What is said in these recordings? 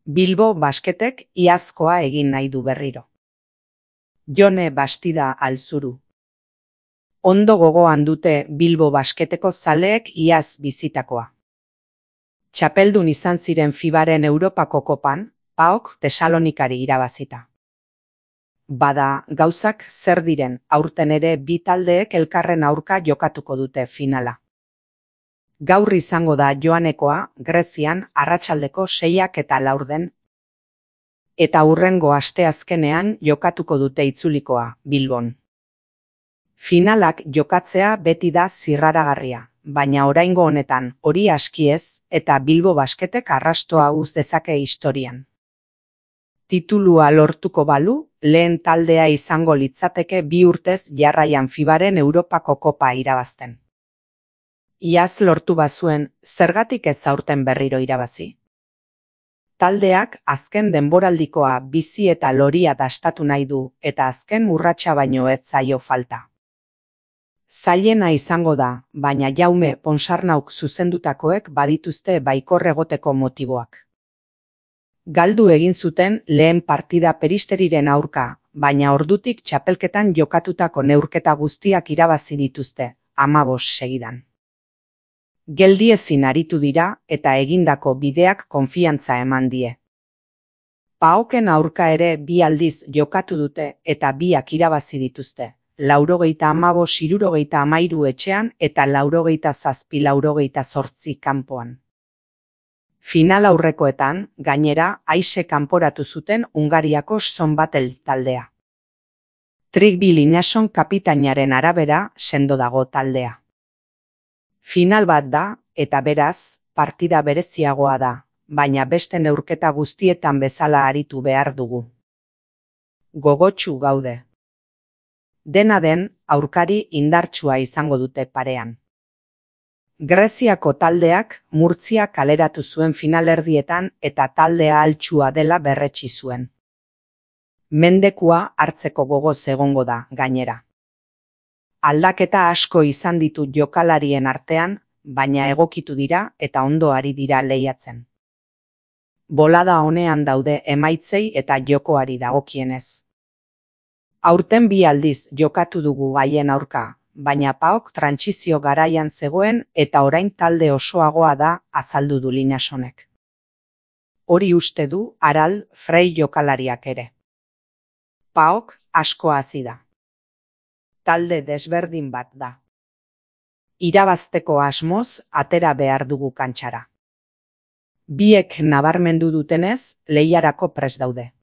Bilbo Basketek iazkoa egin nahi du berriro. Jone Bastida Alzuru. Ondo gogoan dute Bilbo Basketeko zaleek iaz bizitakoa. Txapeldun izan ziren FIBaren Europako kopan, PAOK Tesalonikari irabazita. Bada, gauzak zer diren, aurten ere bi taldeek elkarren aurka jokatuko dute finala. Gaur izango da joanekoa, Grezian, arratsaldeko 6:04. Eta hurrengo asteazkenean jokatuko dute itzulikoa, Bilbon. Finalak jokatzea beti da zirraragarria, baina oraingo honetan hori aski ez eta Bilbo Basketek arrastoa uz dezake historian. Titulua lortuko balu, lehen taldea izango litzateke 2 urtez jarraian FIBaren Europako kopa irabazten. Iaz lortu bazuen, zergatik ez aurten berriro irabazi? Taldeak azken denboraldikoa bizi eta loria dastatu nahi du eta azken urratsa baino ez zaio falta. Zailena izango da, baina Jaume Ponsarnauk zuzendutakoek badituzte baikor egoteko motiboak. Galdu egin zuten lehen partida Peristeriren aurka, baina ordutik txapelketan jokatutako neurketa guztiak irabazi dituzte, 15 segidan. Geldiezin aritu dira eta egindako bideak konfiantza eman die. PAOKen aurka ere 2 aldiz jokatu dute eta biak irabazi dituzte, 95-63 etxean eta 87-88 kanpoan. Final aurrekoetan, gainera, aise kanporatu zuten Hungariako Sonbatel taldea. Trygve Linnésson kapitainaren arabera sendo dago taldea. Final bat da, eta beraz, partida bereziagoa da, baina beste neurketa guztietan bezala aritu behar dugu. Gogotsu gaude. Dena den, aurkari indartsua izango dute parean. Greziako taldeak Murtzia kaleratu zuen finalerdietan eta taldea altsua dela berretsi zuen. Mendekua hartzeko gogoz egongo da, gainera. Aldaketa asko izan ditu jokalarien artean, baina egokitu dira eta ondo ari dira lehiatzen. Bolada onean daude emaitzei eta jokoari dagokienez. Aurten 2 aldiz jokatu dugu haien aurka, baina PAOK trantsizio garaian zegoen eta orain talde osoagoa da, azaldu du Linnéssonek. Hori uste du Aral Frey jokalariak ere. PAOK asko hazi da. Talde desberdin bat da. Irabazteko asmoz atera behar dugu kantxara. Biek nabarmendu dutenez, lehiarako prest daude.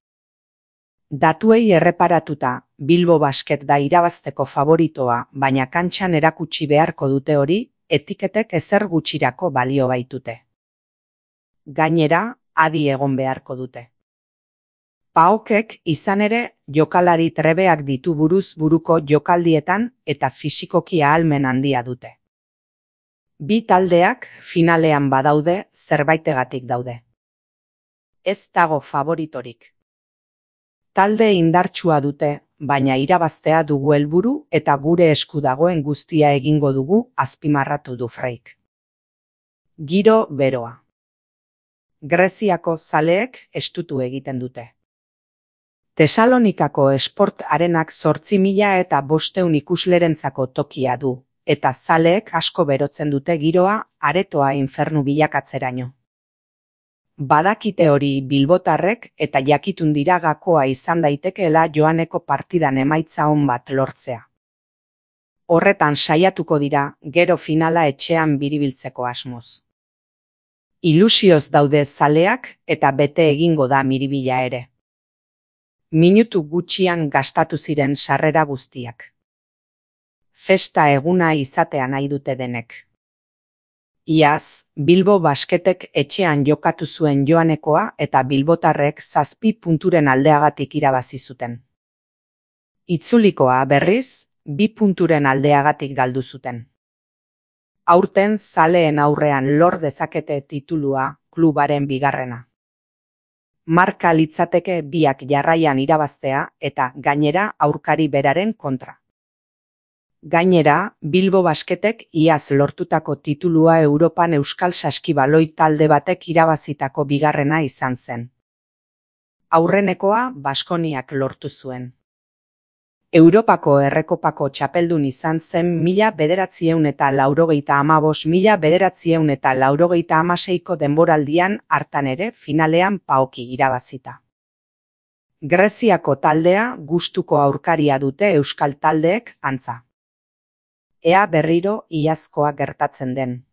Datuei erreparatuta, Bilbo Basket da irabazteko favoritoa, baina kantxan erakutsi beharko dute hori, etiketek ezer gutxirako balio baitute. Gainera, adi egon beharko dute. PAOKek izan ere jokalari trebeak ditu buruz buruko jokaldietan eta fisikoki ahalmen handia dute. Bi taldeak finalean badaude zerbaitegatik daude. Ez dago favoritorik. Talde indartsua dute, baina irabaztea dugu helburu eta gure esku dagoen guztia egingo dugu, azpimarratu du Freyk. Giro beroa. Greziako zaleek estutu egiten dute. Tesalonikako Sport Arenak 8.500 ikuslerentzako tokia du, eta zaleek asko berotzen dute giroa aretoa infernu bilakatzeraino. Badakite hori bilbotarrek eta jakitun dira gakoa izan daitekeela joaneko partidan emaitza on bat lortzea. Horretan saiatuko dira, gero finala etxean biribiltzeko asmoz. Ilusioz daude zaleak eta bete egingo da miribila ere. Minutu gutxian gastatu ziren sarrera guztiak. Festa eguna izatea nahi dute denek. Iaz, Bilbo Basketek etxean jokatu zuen joanekoa eta bilbotarrek 7 punturen aldeagatik irabazi zuten. Itzulikoa berriz, 2 punturen aldeagatik galdu zuten. Aurten zaleen aurrean lor dezakete titulua klubaren bigarrena. Marka litzateke biak jarraian irabaztea eta gainera aurkari beraren kontra. Gainera, Bilbo Basketek iaz lortutako titulua Europan euskal saskibaloi talde batek irabazitako bigarrena izan zen. Aurrenekoa Baskoniak lortu zuen. Europako Errekopako txapeldun izan zen 1985-1986ko denboraldian, hartan ere finalean PAOK irabazita. Greziako taldea gustuko aurkaria dute euskal taldeek, antza. Ea berriro iazkoa gertatzen den.